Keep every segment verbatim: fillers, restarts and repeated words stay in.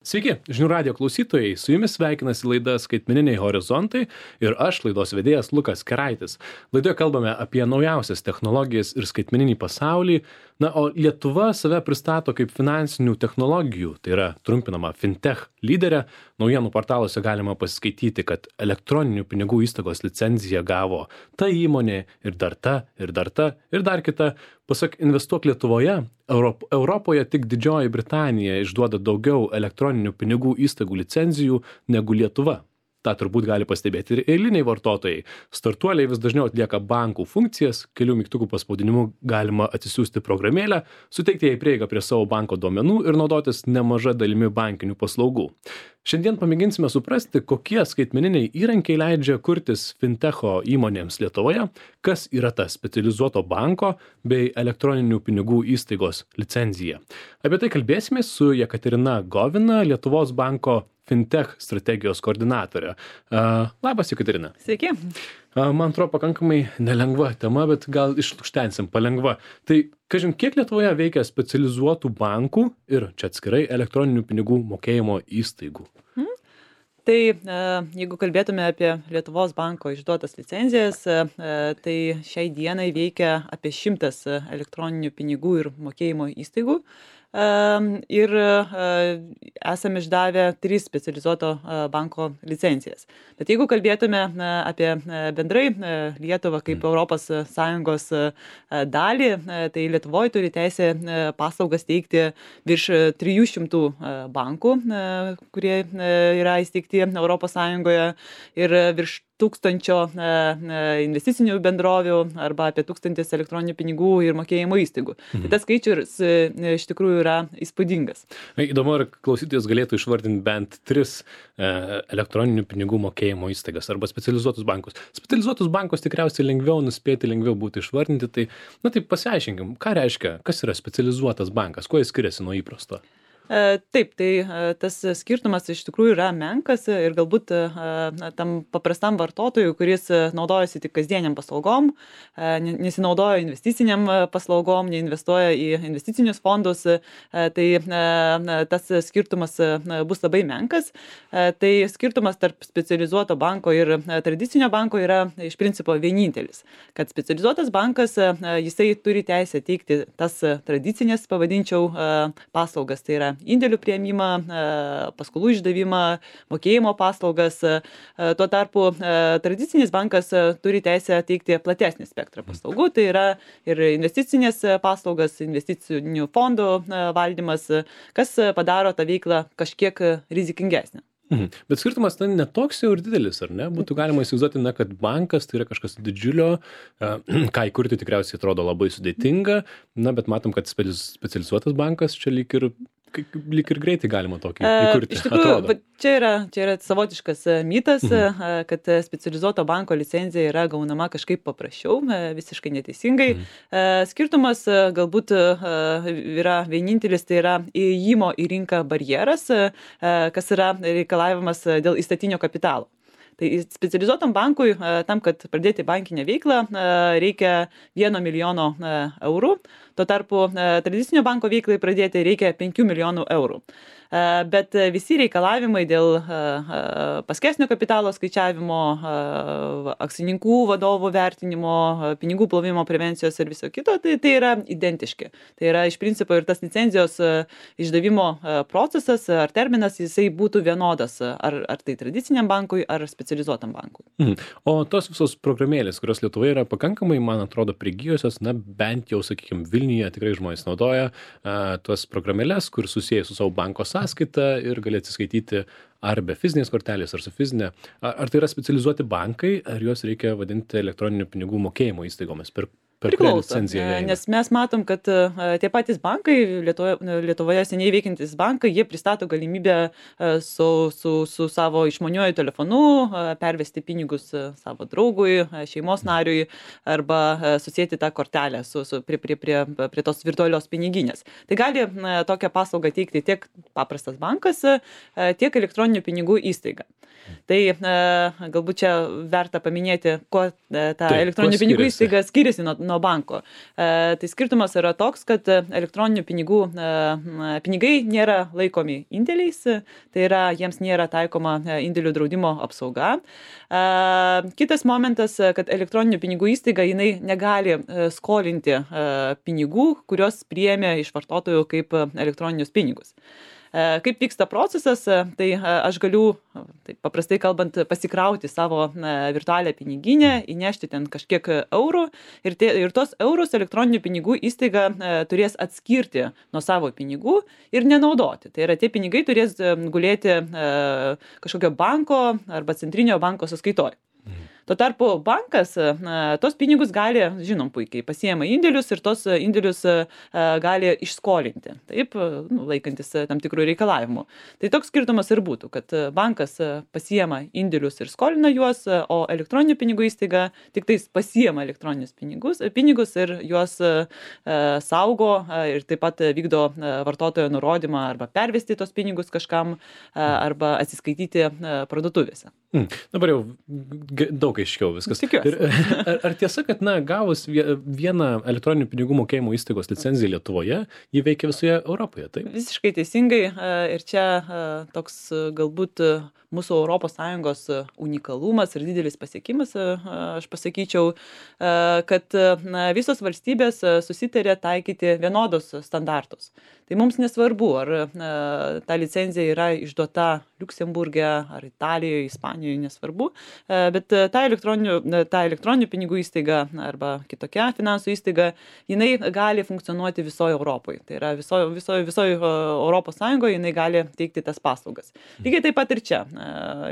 Sveiki, žinių radijo klausytojai, su jumis sveikinasi laida Skaitmeniniai horizontai ir aš, laidos vedėjas Lukas Keraitis. Laidoje kalbame apie naujausias technologijas ir skaitmeninį pasaulį, na, o Lietuva save pristato kaip finansinių technologijų, tai yra trumpinama fintech lyderė. Naujienų portaluose galima pasiskaityti, kad elektroninių pinigų įstaigos licenciją gavo ta įmonė ir dar ta, ir dar ta, ir dar kita. Pasak Investuok Lietuvoje, Europ- Europoje tik Didžioji Britanija išduoda daugiau elektroninių pinigų įstaigų licencijų negu Lietuva. Ta turbūt gali pastebėti ir eiliniai vartotojai. Startuoliai vis dažniau atlieka bankų funkcijas, kelių mygtukų paspaudinimu galima atsisiųsti programėlę, suteikti jai prieigą prie savo banko duomenų ir naudotis nemaža dalimi bankinių paslaugų. Šiandien pamėginsime suprasti, kokie skaitmeniniai įrankiai leidžia kurtis fintecho įmonėms Lietuvoje, kas yra ta specializuoto banko bei elektroninių pinigų įstaigos licencija. Apie tai kalbėsime su Jekaterina Govina, Lietuvos banko fintech strategijos koordinatorė. Uh, labas, Jekaterina. Sveiki. Uh, man atrodo, pakankamai nelengva tema, bet gal išlukštensim palengva. Tai, kažin, kiek Lietuvoje veikia specializuotų bankų ir čia atskirai elektroninių pinigų mokėjimo įstaigų? Hmm. Tai jeigu kalbėtume apie Lietuvos banko išduotas licenzijas, tai šiai dienai veikia apie šimtas elektroninių pinigų ir mokėjimo įstaigų. Ir esame išdavę tris specializuoto banko licencijas. Bet jeigu kalbėtume apie bendrai Lietuvą kaip Europos Sąjungos dalį, tai Lietuvoje turi teisę paslaugas teikti virš trijų šimtų bankų, kurie yra įsteigti Europos Sąjungoje, ir virš tūkstančio investicinių bendrovių arba apie tūkstantis elektroninių pinigų ir mokėjimo įstaigų. Mhm. Tai tas skaičius iš tikrųjų yra įspūdingas. Įdomu, ar klausytojas galėtų išvardinti bent tris e, elektroninių pinigų mokėjimo įstaigas arba specializuotus bankus. Specializuotus bankus tikriausiai lengviau nuspėti, lengviau būtų išvardinti. Tai, na tai pasiaiškinkim, ką reiškia, kas yra specializuotas bankas, kuo jis skiriasi nuo įprasto? Taip, tai tas skirtumas iš tikrųjų yra menkas ir galbūt tam paprastam vartotojui, kuris naudojasi tik kasdieniam paslaugom, nesinaudoja investiciniam paslaugom, neinvestuoja į investicinius fondus, tai tas skirtumas bus labai menkas. Tai skirtumas tarp specializuoto banko ir tradicinio banko yra iš principo vienintelis, kad specializuotas bankas, jisai turi teisę teikti tas tradicinės, pavadinčiau, paslaugas, tai yra indėlių priėmimą, paskolų išdavimą, mokėjimo paslaugas. Tuo tarpu tradicinis bankas turi teisę teikti platesnį spektrą paslaugų, tai yra ir investicinės paslaugas, investicinių fondų valdymas, kas padaro tą veiklą kažkiek rizikingesnę. Mhm. Bet skirtumas ten netoks jau ir didelis, ar ne? Būtų galima įsivaizduoti, na, kad bankas tai yra kažkas didžiulio, ką įkurti tikriausiai atrodo labai sudėtinga, na, bet matom, kad specializuotas bankas čia lyg ir lyg ir greitai galima tokį įkurti. Iš tikrųjų, čia yra, čia yra savotiškas mitas, mhm. kad specializuoto banko licencija yra gaunama kažkaip paprasčiau, visiškai neteisingai. Mhm. Skirtumas galbūt yra vienintelis, tai yra įėjimo į rinką barjeras, kas yra reikalavimas dėl įstatinio kapitalo. Tai specializuotam bankui, tam, kad pradėti bankinę veiklą, reikia vieno milijono eurų. Tuo tarpu tradicinio banko veiklai pradėti reikia penkių milijonų eurų. Bet visi reikalavimai dėl paskesnio kapitalo skaičiavimo, akcininkų vadovų vertinimo, pinigų plovimo prevencijos ir viso kito, tai, tai yra identiški. Tai yra iš principo ir tas licenzijos išdavimo procesas ar terminas, jisai būtų vienodas, ar, ar tai tradiciniam bankui, ar specializuotam bankui. Mhm. O tos visos programėlės, kurios Lietuvoje yra pakankamai, man atrodo, prigijusios, na bent jau, sakykime, Vilniuje tikrai žmonės naudoja a, tuos programėlės, kur susiję su savo banko sąskaita ir gali atsiskaityti ar be fizinės kortelės, ar su fizinė. Ar, ar tai yra specializuoti bankai, ar juos reikia vadinti elektroninių pinigų mokėjimo įstaigomis? Per, per Priklauso, nes mes matom, kad tie patys bankai, Lietuvoje, Lietuvoje seniai veikiantys bankai, jie pristato galimybę su, su, su savo išmaniuoju telefonu pervesti pinigus savo draugui, šeimos nariui arba susėti tą kortelę su, su, prie, prie, prie, prie tos virtualios piniginės. Tai gali tokią paslaugą teikti tiek paprastas bankas, tiek elektroninių pinigų įstaiga. Tai galbūt čia verta paminėti, kuo ta elektroninių pinigų įstaiga skiriasi nuo, nuo banko. Tai skirtumas yra toks, kad elektroninių pinigų pinigai nėra laikomi indėliais, tai yra jiems nėra taikoma indėlių draudimo apsauga. Kitas momentas, kad elektroninių pinigų įstaiga jinai negali skolinti pinigų, kurios priėmė iš vartotojų kaip elektroninius pinigus. Kaip vyksta procesas, tai aš galiu, tai paprastai kalbant, pasikrauti savo virtualią piniginę, įnešti ten kažkiek eurų ir, tie, ir tos eurus elektroninių pinigų įstaiga turės atskirti nuo savo pinigų ir nenaudoti. Tai yra, tie pinigai turės gulėti kažkokio banko arba centrinio banko sąskaitoje. Tuo tarpu bankas tos pinigus gali, žinom puikiai, pasiema indėlius ir tos indėlius gali išskolinti, taip, nu, laikantis tam tikrų reikalavimų. Tai toks skirtumas ir būtų, kad bankas pasiema indėlius ir skolina juos, o elektroninių pinigų įstaiga tik tais pasiema elektroninius pinigus, pinigus ir juos saugo ir taip pat vykdo vartotojo nurodymą arba pervesti tos pinigus kažkam arba atsiskaityti parduotuvėse. Hmm. Dabar jau daug aiškiau viskas. Ir, ar, ar tiesa, kad na, gavus vieną elektroninių pinigų mokėjimo įstaigos licenciją Lietuvoje, jį veikia visoje Europoje, taip? Visiškai teisingai. Ir čia toks galbūt mūsų Europos Sąjungos unikalumas ir didelis pasiekimas, aš pasakyčiau, kad na, visos valstybės susitarė taikyti vienodus standartus. Tai mums nesvarbu, ar na, ta licencija yra išduota Liuksemburge, ar Italijoje, Ispanijoje, nesvarbu, bet ta elektroninių, ta elektroninių pinigų įstaiga arba kitokia finansų įstaiga, jinai gali funkcionuoti visoje Europoje. Tai yra visoje viso, viso Europos Sąjungoje jinai gali teikti tas paslaugas. Lygiai taip pat ir čia.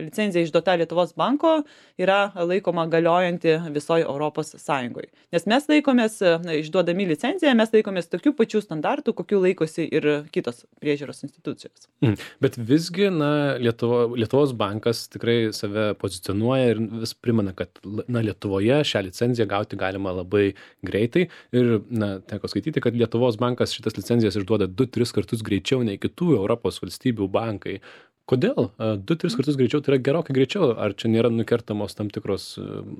Licencija išduota Lietuvos banko yra laikoma galiojanti visoje Europos Sąjungoje. Nes mes laikomės, išduodami licenciją, mes laikomės tokių pačių standartų, kokių laikosi ir kitos priežiūros institucijos. Mm. Bet visgi, na, Lietuvo, Lietuvos bankas tikrai save pozicionuoja ir vis primena, kad na, Lietuvoje šią licenciją gauti galima labai greitai. Ir, na, teko skaityti, kad Lietuvos bankas šitas licencijas išduoda du tris kartus greičiau nei kitų Europos valstybių bankai. Kodėl? Du tris kartus greičiau, tai yra gerokai greičiau. Ar čia nėra nukertamos tam tikros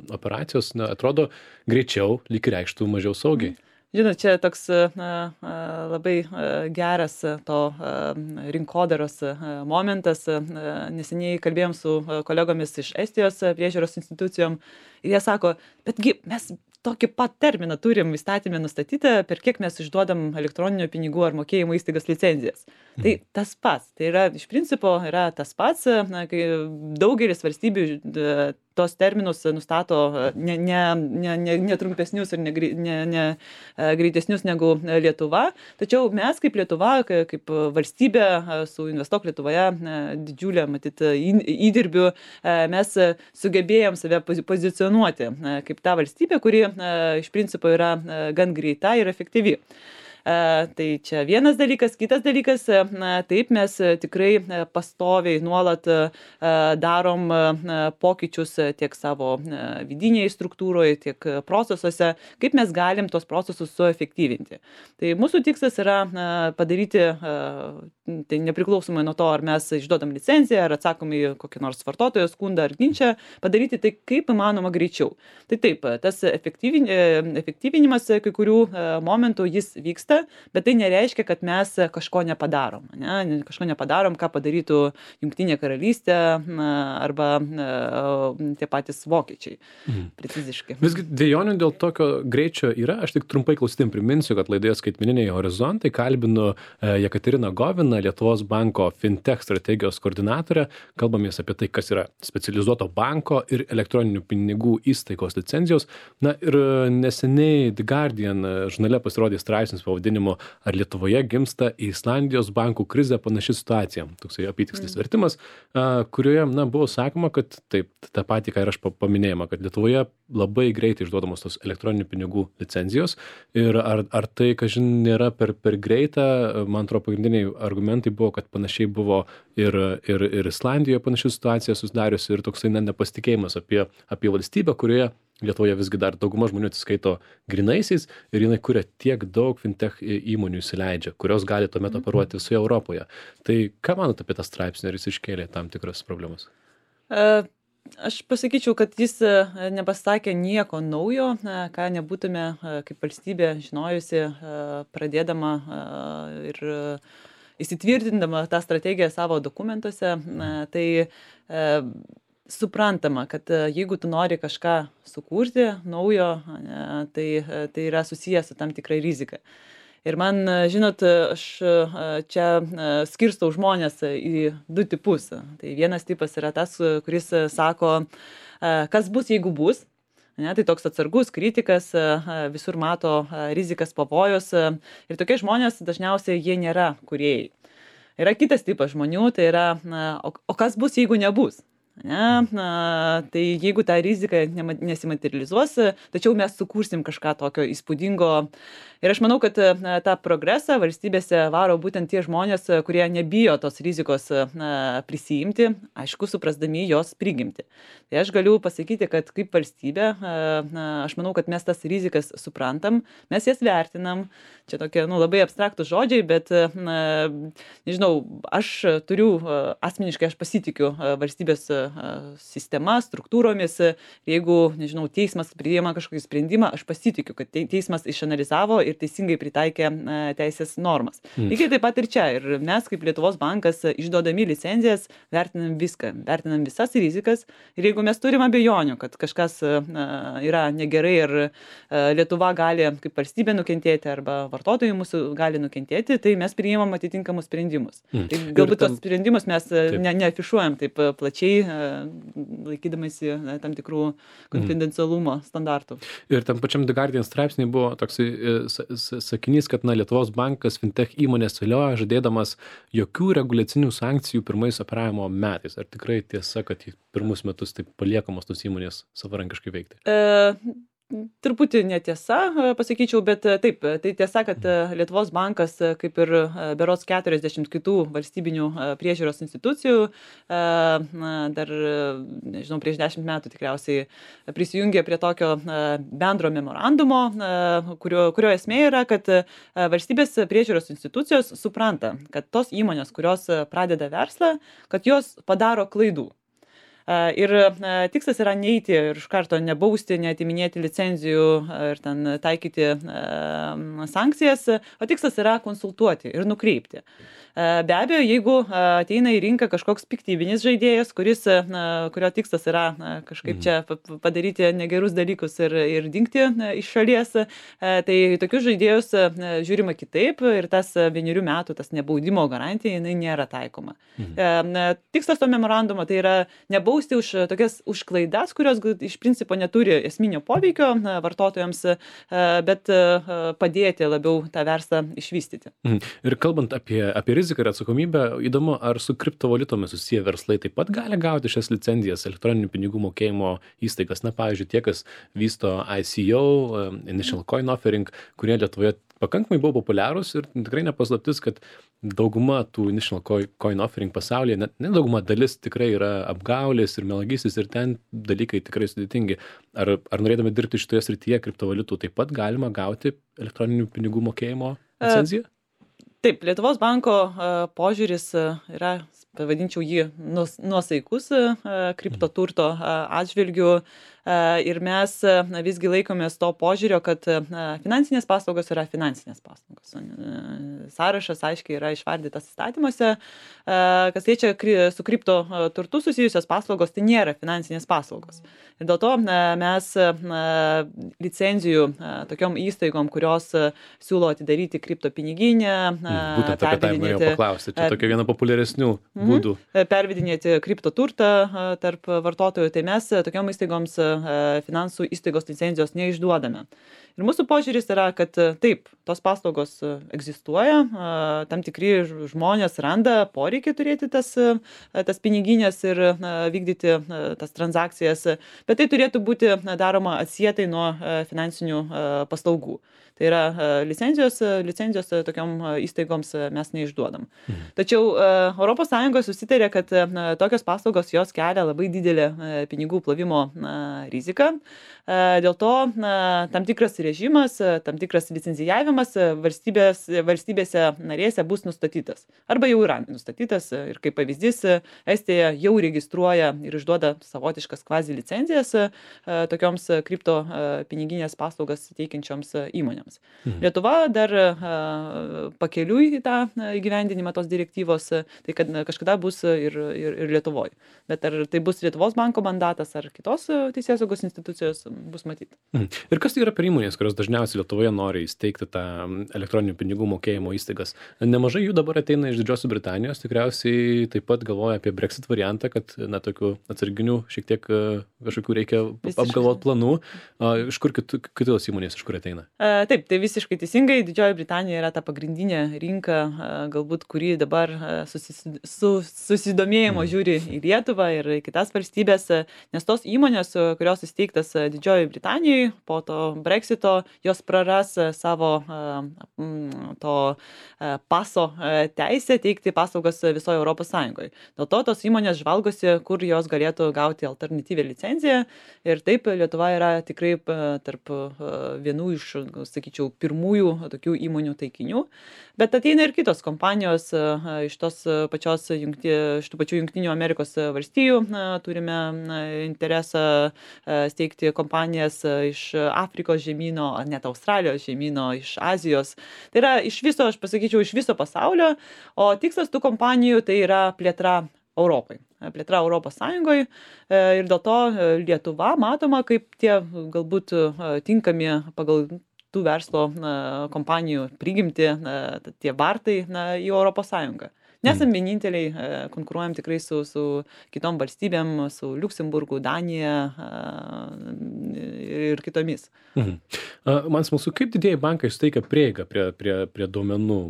operacijos? Na, atrodo, greičiau lyg reikštų mažiau saugiai. Žinot, čia toks na, labai geras to rinkodaros momentas. Neseniai kalbėjom su kolegomis iš Estijos priežiūros institucijom ir jie sako, betgi mes tokį pat terminą turim įstatymę nustatytą, per kiek mes išduodam elektroninių pinigų ar mokėjimo įstaigas licenzijas. Mhm. Tai tas pats, tai yra iš principo yra tas pats, na, kai daugelis valstybių tos terminus nustato ne, ne, ne, ne, ne trumpesnius ir ne, ne, ne greitesnius negu Lietuva. Tačiau mes kaip Lietuva, kaip valstybė su Investuok Lietuvoje didžiulė, matyt, įdirbių, mes sugebėjom save pozicionuoti kaip ta valstybė, kuri iš principo yra gan greita ir efektyvi. Tai čia vienas dalykas, kitas dalykas, taip mes tikrai pastoviai nuolat darom pokyčius tiek savo vidinėje struktūroje, tiek procesuose, kaip mes galim tos procesus suefektyvinti. Tai mūsų tikslas yra padaryti, tai nepriklausomai nuo to, ar mes išduodam licenciją, ar atsakom į kokį nors vartotojo skundą ar ginčą, padaryti tai kaip įmanoma greičiau. Tai taip, tas efektyvinimas kai kurių momentų jis vyksta, bet tai nereiškia, kad mes kažko nepadarom. Ne? Kažko nepadarom, ką padarytų Jungtinė karalystė arba tie patys vokiečiai. Mhm. Preciziškai. Visgi dvejonių dėl tokio greičio yra. Aš tik trumpai klausytėm priminsiu, kad laidoje Skaitmeniniai horizontai kalbinu Jekateriną Goviną, Lietuvos banko fintech strategijos koordinatorę. Kalbamės apie tai, kas yra specializuoto banko ir elektroninių pinigų įstaigos licencijos. Na ir neseniai The Guardian žurnale pasirodė straipsnis pavadinimu Ar Lietuvoje gimsta į Islandijos bankų krizę panaši situacija. Toksai apytikslis mm. vertimas, kurioje na, buvo sakoma, kad taip, tą patį, ką ir aš paminėjama, kad Lietuvoje labai greitai išduodamos tos elektroninių pinigų licencijos ir ar, ar tai, kažin, nėra per, per greita, man atrodo, pagrindiniai argumentai buvo, kad panašiai buvo ir, ir, ir Islandijoje panaši situacija susidariusi ir toksai na, nepasitikėjimas apie, apie valstybę, kurioje Lietuvoje visgi dar dauguma žmonių atsiskaito grynaisiais ir jinai kuria tiek daug fintech įmonių įsileidžia, kurios gali tuomet mm-hmm. operuoti visoje Europoje. Tai ką manot apie tą straipsnį, ar jis iškėlė tam tikras problemas? Uh. Aš pasakyčiau, kad jis nepasakė nieko naujo, ką nebūtume kaip valstybė žinojusi, pradėdama ir įsitvirtindama tą strategiją savo dokumentuose. Tai suprantama, kad jeigu tu nori kažką sukurti naujo, tai, tai yra susijęs su tam tikrai rizika. Ir man, žinot, aš čia skirstau žmonės į du tipus. Tai vienas tipas yra tas, kuris sako, kas bus, jeigu bus. Ne, tai toks atsargus kritikas, visur mato rizikas, pavojus. Ir tokie žmonės dažniausiai jie nėra kūrėjai. Yra kitas tipas žmonių, tai yra, o, o kas bus, jeigu nebus. Ne, na, tai jeigu ta rizika nesimaterializuos, tačiau mes sukursim kažką tokio įspūdingo. Ir aš manau, kad na, tą progresą valstybėse varo būtent tie žmonės, kurie nebijo tos rizikos na, prisijimti, aišku, suprasdami jos prigimti. Tai aš galiu pasakyti, kad kaip valstybė, na, aš manau, kad mes tas rizikas suprantam, mes jas vertinam. Čia tokie nu, labai abstraktus žodžiai, bet, na, nežinau, aš turiu, asmeniškai aš pasitikiu valstybės sistema, struktūromis. Jeigu, nežinau, teismas priima kažkokį sprendimą, aš pasitikiu, kad teismas išanalizavo ir teisingai pritaikė teisės normas. Mm. Lygiai taip pat ir čia. Ir mes kaip Lietuvos bankas išduodami licenzijas vertinam viską, vertinam visas rizikas. Ir jeigu mes turim abejonių, kad kažkas yra negerai ir Lietuva gali kaip valstybė nukentėti arba vartotojai mūsų gali nukentėti, tai mes priimam atitinkamus sprendimus. Mm. Tai galbūt tos sprendimus mes ne, neafišuojam taip plačiai, laikydamasi tam tikrų konfidencialumo mm. standartų. Ir tam pačiam The Guardian straipsniai buvo toksai sakinys, kad na, Lietuvos bankas fintech įmonės vilioja, žadėdamas jokių reguliacinių sankcijų pirmais operavimo metais. Ar tikrai tiesa, kad į pirmus metus taip paliekamos tos įmonės savarankiškai veikti? E... Truputį netiesa, pasakyčiau, bet taip, tai tiesa, kad Lietuvos bankas, kaip ir berods keturiasdešimt kitų valstybinių priežiūros institucijų, dar, nežinau, prieš dešimt metų tikriausiai prisijungė prie tokio bendro memorandumo, kurio, kurio esmė yra, kad valstybės priežiūros institucijos supranta, kad tos įmonės, kurios pradeda verslą, kad jos padaro klaidų. Ir tikslas yra neiti ir iš karto nebausti, neatiminėti licenzijų ir ten taikyti sankcijas, o tikslas yra konsultuoti ir nukreipti. Be abejo, jeigu ateina į rinką kažkoks piktybinis žaidėjas, kuris, kurio tikslas yra kažkaip čia padaryti negerus dalykus ir, ir dingti iš šalies, tai tokius žaidėjus žiūrima kitaip ir tas vienerių metų, tas nebaudimo garantija, jinai nėra taikoma. Mhm. Tikslas to memorandumo tai yra nebausti už tokias už klaidas, kurios iš principo neturi esminio poveikio vartotojams, bet padėti labiau tą verslą išvystyti. Mhm. Ir kalbant apie, apie riziką ir atsakomybę, įdomu, ar su kriptovaliutomis susiję verslai taip pat gali gauti šias licenzijas, elektroninių pinigų mokėjimo įstaigas. Na, pavyzdžiui, tie, kas vysto I C O, Initial Coin Offering, kurie Lietuvoje pakankamai buvo populiarūs ir tikrai nepaslaptis, kad dauguma tų Initial Coin Offering pasaulyje, net ne dauguma dalis tikrai yra apgaulės ir melagystės ir ten dalykai tikrai sudėtingi. Ar, ar norėdami dirbti šitoje srityje kriptovaliutų taip pat galima gauti elektroninių pinigų mokėjimo licenciją? Uh. Taip, Lietuvos banko požiūris yra, pavadinčiau jį, nuosaikus kriptoturto atžvilgių ir mes visgi laikomės to požiūrio, kad finansinės paslaugos yra finansinės paslaugos. Sąrašas aiškiai yra išvardytas įstatymuose, kas liečia su kripto turtu susijusios paslaugos, tai nėra finansinės paslaugos. Ir dėl to mes licenzijų tokiom įstaigom, kurios siūlo atidaryti kripto piniginę, būtent apie tai norėjau paklausti, čia tokia viena populiaresnių būdų. Pervedinėti kripto turtą tarp vartotojų, tai mes tokiom įstaigoms finansų įstaigos licenzijos neišduodame. Ir mūsų požiūris yra, kad taip, tos paslaugos egzistuoja, tam tikri žmonės randa poreikį turėti tas, tas piniginės ir vykdyti tas transakcijas, bet tai turėtų būti daroma atsietai nuo finansinių paslaugų. Tai yra licenzijos, licenzijos tokiom įstaigoms mes neišduodam. Mhm. Tačiau E S Sąjungoje susitarė, kad na, tokios paslaugos jos kelia labai didelę pinigų plovimo na, riziką. Dėl to na, tam tikras režimas, tam tikras licencijavimas valstybės, valstybėse narėse bus nustatytas. Arba jau yra nustatytas ir kaip pavyzdys, Estija jau registruoja ir išduoda savotiškas kvazi licenzijas tokioms kripto piniginės paslaugas teikiančioms įmonėms. Mhm. Lietuva dar pakeliui į tą įgyvendinimą tos direktyvos, tai kad kažkada bus ir, ir, ir Lietuvoje. Bet ar tai bus Lietuvos banko mandatas ar kitos teisėsaugos institucijos, bus matyti. Mhm. Ir kas tai yra per įmonės, kurios dažniausiai Lietuvoje nori įsteigti tą elektroninių pinigų mokėjimo įstaigas? Nemažai jų dabar ateina iš Didžiosios Britanijos, tikriausiai taip pat galvoja apie Brexit variantą, kad na, tokių atsarginių šiek tiek kažkokių reikia apgalvoti planų. Iš kur kitų, kitos įmonės, iš kur ateina? A, taip, tai visiškai teisingai. Didžioji Britanija yra ta pagrindinė rinka, galbūt kuri dabar susis, su, susidomėjimo mm. žiūri į Lietuvą ir į kitas valstybės, nes tos įmonės, kurios įsteigtas Didžioji Britanijoje, po to Brexito, jos praras savo to paso teisę teikti paslaugas visoje Europos Sąjungoje. Dėl to tos įmonės žvalgosi, kur jos galėtų gauti alternatyvią licenciją ir taip Lietuva yra tikrai tarp vienų iš, sakyčiau, pirmųjų tokių įmonių taikinių, bet ateina ir kitos kompanijos iš tos pačios jungti, iš tų pačių Jungtinių Amerikos valstijų. Turime interesą steigti kompanijas iš Afrikos žemyno, net Australijos žemyno, iš Azijos. Tai yra iš viso, aš pasakyčiau, iš viso pasaulio, o tikslas tų kompanijų tai yra plėtra Europai. Plėtra Europos Sąjungoje ir dėl to Lietuva matoma kaip tie galbūt tinkami pagal tų verslo kompanijų prigimti tie vartai į Europos Sąjungą. Nesam vieninteliai, konkuruojam tikrai su, su kitom valstybėm, su Liuksemburgu, Danija ir kitomis. Mhm. Man smalsu, kaip didieji bankai suteikia prieigą prie, prie, prie duomenų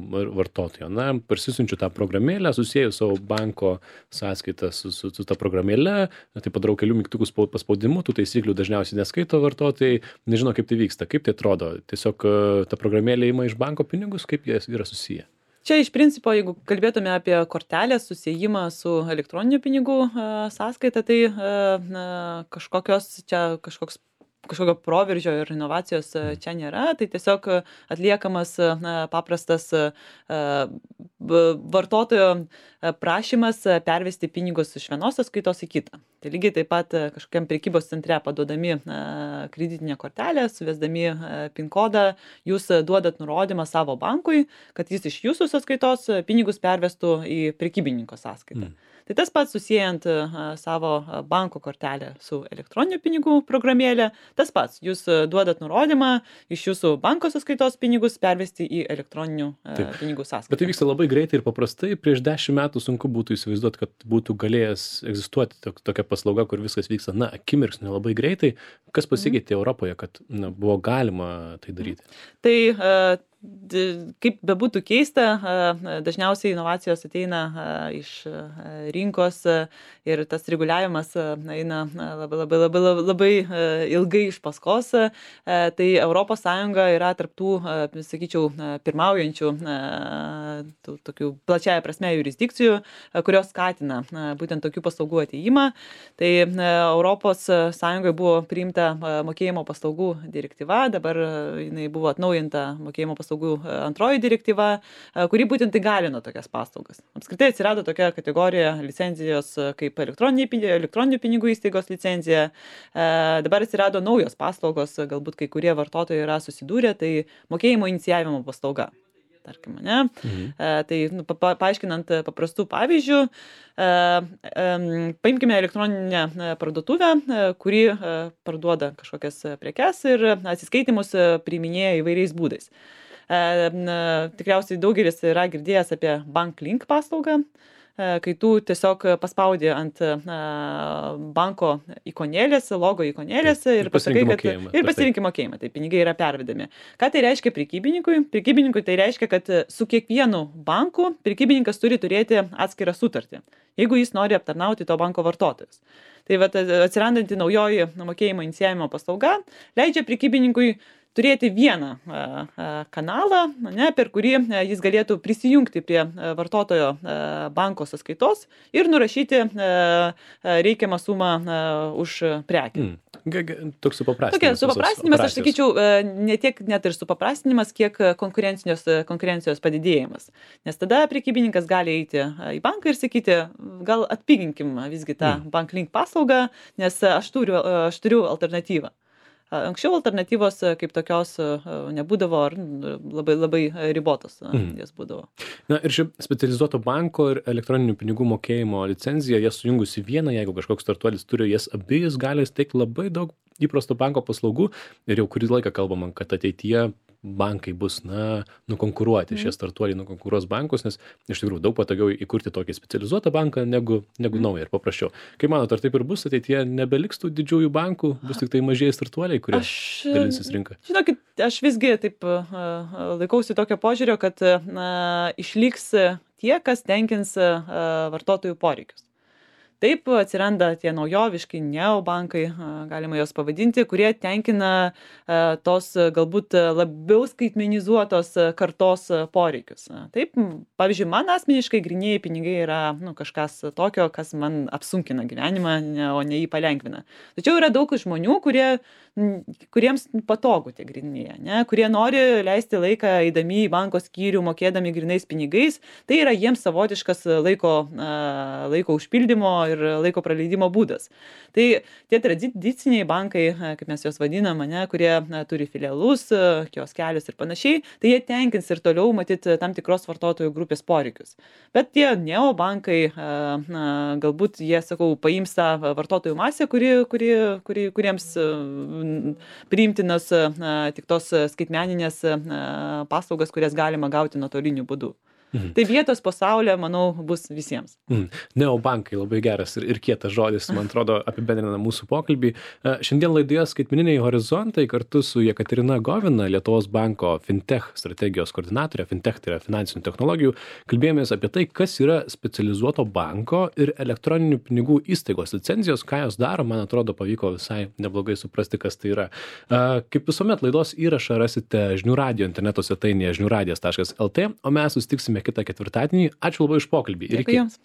vartotojo? Na, parsisiunčiu tą programėlę, susijęju savo banko sąskaitą su, su, su tą programėlę, tai padarau kelių mygtukų paspaudimų, tų taisyklių dažniausiai neskaito vartotojai, nežino, kaip tai vyksta, kaip tai atrodo. Tiesiog ta programėlė ima iš banko pinigus, kaip jie yra susiję? Čia iš principo, jeigu kalbėtume apie kortelės susijimą su elektroniniu pinigų sąskaita, tai na, kažkokios čia kažkoks kažkokio proveržio ir inovacijos čia nėra, tai tiesiog atliekamas na, paprastas vartotojo prašymas pervesti pinigus iš vienos sąskaitos į kitą. Tai lygiai taip pat kažkokiam prekybos centre paduodami kreditinę kortelę, suvesdami PIN kodą, jūs duodat nurodymą savo bankui, kad jis iš jūsų sąskaitos pinigus pervestų į prekybininko sąskaitą. Mm. Tai tas pats susijęjant savo banko kortelę su elektroniniu pinigų programėlė, tas pats, jūs duodat nurodymą iš jūsų banko sąskaitos pinigus pervesti į elektroninių Taip. pinigų sąskaitą. Bet tai vyksta labai greitai ir paprastai. Prieš dešimt metų sunku būtų įsivaizduoti, kad būtų galėjęs egzistuoti tokia paslauga, kur viskas vyksta, na, akimirksniu labai greitai. Kas pasikeitė mm. Europoje, kad na, buvo galima tai daryti? Tai uh, kaip bebūtų keista, dažniausiai inovacijos ateina iš rinkos ir tas reguliavimas eina labai, labai, labai, labai ilgai iš paskos. Tai Europos Sąjunga yra tarptų, sakyčiau, pirmaujančių tų, tokių plačiaja prasme jurisdikcijų, kurios skatina būtent tokių paslaugų ateimą. Tai Europos Sąjungoje buvo priimta mokėjimo paslaugų direktyva, dabar jinai buvo atnaujinta mokėjimo paslaugų paslaugų antroji direktyva, kuri būtent įgalino tokias paslaugas. Apskritai atsirado tokia kategorija licencijos kaip elektroninių pinigų įstaigos licencija. Dabar atsirado naujos paslaugos, galbūt kai kurie vartotojai yra susidūrę, tai mokėjimo inicijavimo paslauga. Tarkim, ne? Mhm. Tai nu, pa, paaiškinant paprastų pavyzdžių, paimkime elektroninę parduotuvę, kuri parduoda kažkokias prekes ir atsiskaitimus priiminėja įvairiais būdais. Tikriausiai daugelis yra girdėjęs apie BankLink paslaugą, kai tu tiesiog paspaudi ant banko ikonėlės, logo ikonėlės ir, ir pasakai, kad ir pasirinkti mokėjimą, tai pinigai yra pervedami. Ką tai reiškia prekybininkui? Prekybininkui tai reiškia, kad su kiekvienu banku prekybininkas turi turėti atskirą sutartį, jeigu jis nori aptarnauti to banko vartotojus. Tai vat, atsirandanti naujoji mokėjimo inicijavimo paslauga leidžia prekybininkui turėti vieną kanalą, ne, per kurį jis galėtų prisijungti prie vartotojo banko sąskaitos ir nurašyti reikiamą sumą už prekę. Mm. Toks supaprastinimas. Tokia supaprastinimas, aš sakyčiau, ne tiek net ir supaprastinimas, kiek konkurencijos, konkurencijos padidėjimas. Nes tada prekybininkas gali eiti į banką ir sakyti, gal atpiginkim visgi tą mm. banklink paslaugą, nes aš turiu, aš turiu alternatyvą. Anksčiau alternatyvos kaip tokios nebūdavo, ar labai, labai ribotos mm. jas būdavo. Na ir ši specializuoto banko ir elektroninių pinigų mokėjimo licenzija, jas sujungus į vieną, jeigu kažkoks startuolis turi jas abi, jis gali steigti labai daug įprasto banko paslaugų ir jau kurį laiką kalbama, kad ateityje bankai bus, na, nukonkuruoti, mm. šie startuoliai nukonkuruos bankus, nes iš tikrųjų daug patogiau įkurti tokį specializuotą banką negu, negu mm. naują ir paprasčiau. Kaip manot, ar taip ir bus ateityje, nebeliks tų didžiųjų bankų, bus tik tai mažieji startuoliai, kurie aš, dalinsis rinką? Žinokit, aš visgi taip laikausi tokio požiūrio, kad na, išliks tie, kas tenkins vartotojų poreikius. Taip atsiranda tie naujoviški neobankai, galima jos pavadinti, kurie tenkina tos galbūt labiau skaitmenizuotos kartos poreikius. Taip, pavyzdžiui, man asmeniškai grynieji pinigai yra nu, kažkas tokio, kas man apsunkina gyvenimą, ne, o ne jį palengvina. Tačiau yra daug žmonių, kurie, kuriems patogu tie grynieji, ne, kurie nori leisti laiką eidami į banko skyrių, mokėdami grynais pinigais. Tai yra jiems savotiškas laiko, laiko užpildymo ir laiko praleidimo būdas. Tai tie tradiciniai bankai, kaip mes juos vadinam, ne, kurie na, turi filialus, kioskelius ir panašiai, tai jie tenkins ir toliau matyti tam tikros vartotojų grupės poreikius. Bet tie neobankai, na, galbūt jie, sakau, paims tą vartotojų masę, kuri, kuri, kuri, kuriems priimtinas na, tik tos skaitmeninės na, paslaugas, kurias galima gauti nuotoliniu būdu. Mhm. Tai vietos pasaulyje, manau, bus visiems. Mhm. Neobankai labai geras ir, ir kietas žodis, man atrodo, apibendrina mūsų pokalbį. Šiandien laidoje Skaitmeniniai horizontai kartu su Jekaterina Govina, Lietuvos banko fintech strategijos koordinatorė, fintech tai yra finansinių technologijų, kalbėjomės apie tai, kas yra specializuoto banko ir elektroninių pinigų įstaigos licenzijos, ką jos daro, man atrodo, pavyko visai neblogai suprasti, kas tai yra. Kaip visuomet, laidos įrašą rasite Žinių radijo interneto svetainėje žinių radijas taškas lt, o mes susitiksime kitą ketvirtadienį. Ačiū labai už pokalbį. Dėkui jums.